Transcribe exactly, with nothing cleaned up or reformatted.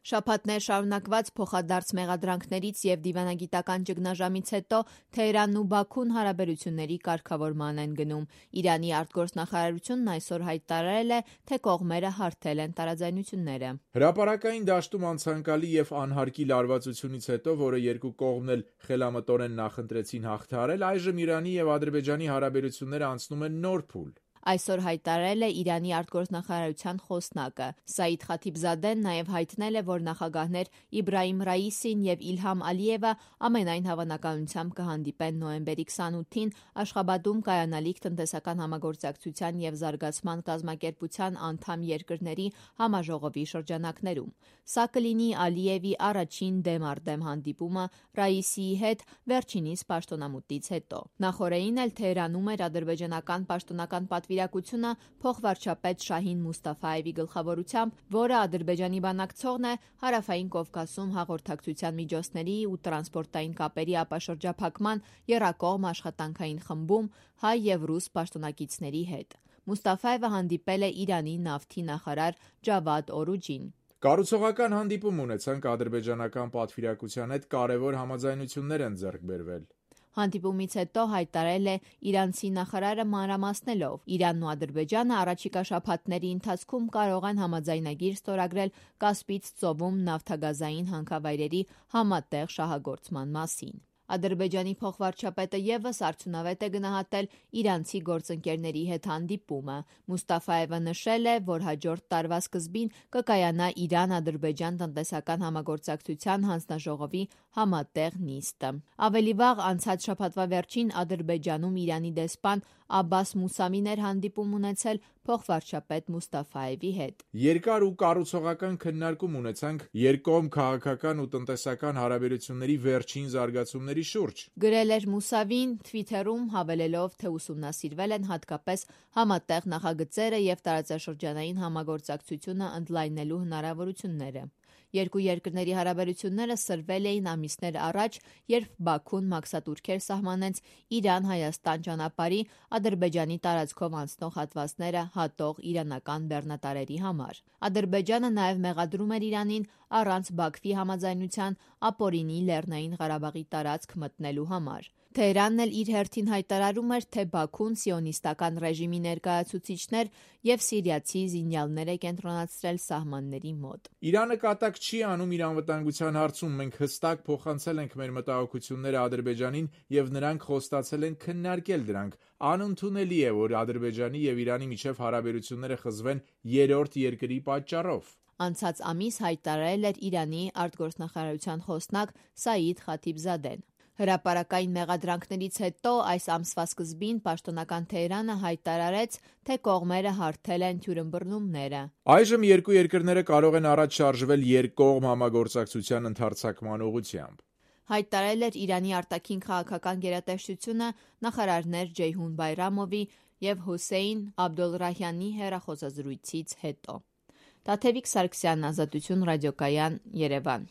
Շաբաթներ շարունակված փոխադարձ մեղադրանքներից և դիվանագիտական ճգնաժամից հետո Թեհրանն ու Բաքուն հարաբերությունների կարգավորման են գնում։ Իրանի արտգործնախարարությունն այսօր հայտարարել է, թե կողմերը հարթել են տարաձայնությունները։ Հրապարակային դաշտում անցանկալի և անհարկի լարվածությունից հետո, որը երկու կողմն էլ խելամտորեն նախընտրեցին հաղթահարել, այժմ Իրանի և Ադրբեջանի հարաբերությունները անցնում են նոր փուլ։ Այսօր հայտարարել է Իրանի արտգործնախարարության խոսնակը։ Սաիդ Խաթիբզադեն նաև հայտնել է, որ նախագահներ Իբրահիմ Ռայիսին և Իլհամ Ալիևը ամենայն հավանականությամբ կհանդիպեն նոյեմբերի քսանութին Աշխաբադում կայանալիք տնտեսական համագործակցության և զարգացման կազմակերպության անդամ երկրների համաժողովի շրջանակներում։ Սա կլինի Ալիևի առաջին դեմ առ դեմ հանդիպումը Ռայիսիի հետ վերջինիս պաշտոնամուտից հետո։ Նախօրեին էլ Թեհրանում էր ադրբեջանական պաշտոնական պատվիրակությունը փոխվարչապետ Շահին Մուստաֆայևի գլխավորությամբ, որը Ադրբեջանի բանակցողն է Հարավային Կովկասում հաղորդակցության միջոցների ու տրանսպորտային կապերի ապաշրջափակման եռակողմ աշխատանքային խմբում հայ և ռուս պաշտոնակիցների հետ։ Մուստաֆայևը հանդիպել է Իրանի նավթի նախարար Ջավադ Օրուջին։ Կառուցողական հանդիպում ունեցանք ադրբեջանական պատվիրակության հետ, կարևոր համաձայնություններ են ձեռք բերվել։ Հանդիպումից հետո հայտարարել է իրանցի նախարարը մանրամասնելով. Իրանն ու Ադրբեջանը առաջիկա շաբաթների ընթացքում կարող են համաձայնագիր ստորագրել Կասպից ծովում նավթագազային հանքավայրերի համատեղ շահագործման մասին։ Ադրբեջանի փոխվարչապետը ևս արդյունավետ է գնահատել իրանցի գործընկերների հետ հանդիպումը։ Մուստաֆայևը նշել է, որ հաջորդ տարվա սկզբին կկայանա Իրան-Ադրբեջան տնտեսական համագործակցության հանձնաժողովի համատեղ նիստը։ Ավելի վաղ անցած շաբաթվա վերջին Ադրբեջանում Իրանի դեսպան Աբբաս Մուսավին էր հանդիպում ունեցել փոխվարչապետ Մուստաֆայևի հետ։ Երկար ու կառուցողական քննարկում ունեցանք երկկողմ քաղաքական ու տնտեսական հարաբերությունների վերջին զարգացումների շուրջ, գրել էր Մուսավին Թվիթերում, հավելելով, թե ուսումնասիրվել են հատկապես համատեղ նախագծերը և տարածաշրջանային համագործակցությունը ընդլայնելու հնարավորությունները։ Երկու երկրների հարաբերությունները սրվել էին ամիսներ առաջ, երբ Բաքուն մաքսատուրքեր սահմանեց Իրան-Հայաստան ճանապարհի Ադրբեջանի տարածքով անցնող հատվածները հատող իրանական բեռնատարերի համար։ Ադրբեջանը նաև մեղադրում էր Իրանին առանց Բաքվի համաձայնության ապօրինի Լեռնային Ղարաբաղի տարածք մտնելու համար։ Թեհրանն էլ իր հերթին հայտարարում էր, թե Բաքուն սիոնիստական ռեժիմի ներկայացուցիչներ և սիրիացի զինյալներ է կենտրոնացրել սահմանների մոտ։ Իրանը կատակ չի անում իր անվտանգության հարցում, մենք հստակ փոխանցել ենք մեր մտահոգությունները Ադրբեջանին և նրանք խոստացել են քննարկել դրանք։ Անընդունելի է, որ Ադրբեջանի և Իրանի միջև հարաբերությունները խզվեն երրորդ երկրի պատճառով։ Անցած ամիս հայտարարել էր Իրանի արտգործնախարարության խոսնակ Սաիդ Խաթիբզադեն։ Հրապարակային մեղադրանքներից հետո այս ամսվա սկզբին պաշտոնական Թեհրանը հայտարարեց, թե կողմերը հարթել են թյուրըմբռնումները։ Այժմ երկու երկրները կարող են առաջ շարժվել երկկողմ համագործակցության ընդարձակման ուղղությամբ։ Հայտարարել էր Իրանի արտաքին քաղաքական գերատեսչությունը նախարարներ Ջեյհուն Բայրամովի և Հոսեյն Աբդոլռահյանի հեռախոսազրույցից հետո։ Տաթևիկ Սարգսյան, Ազատություն ռադիոկայան, Երևան։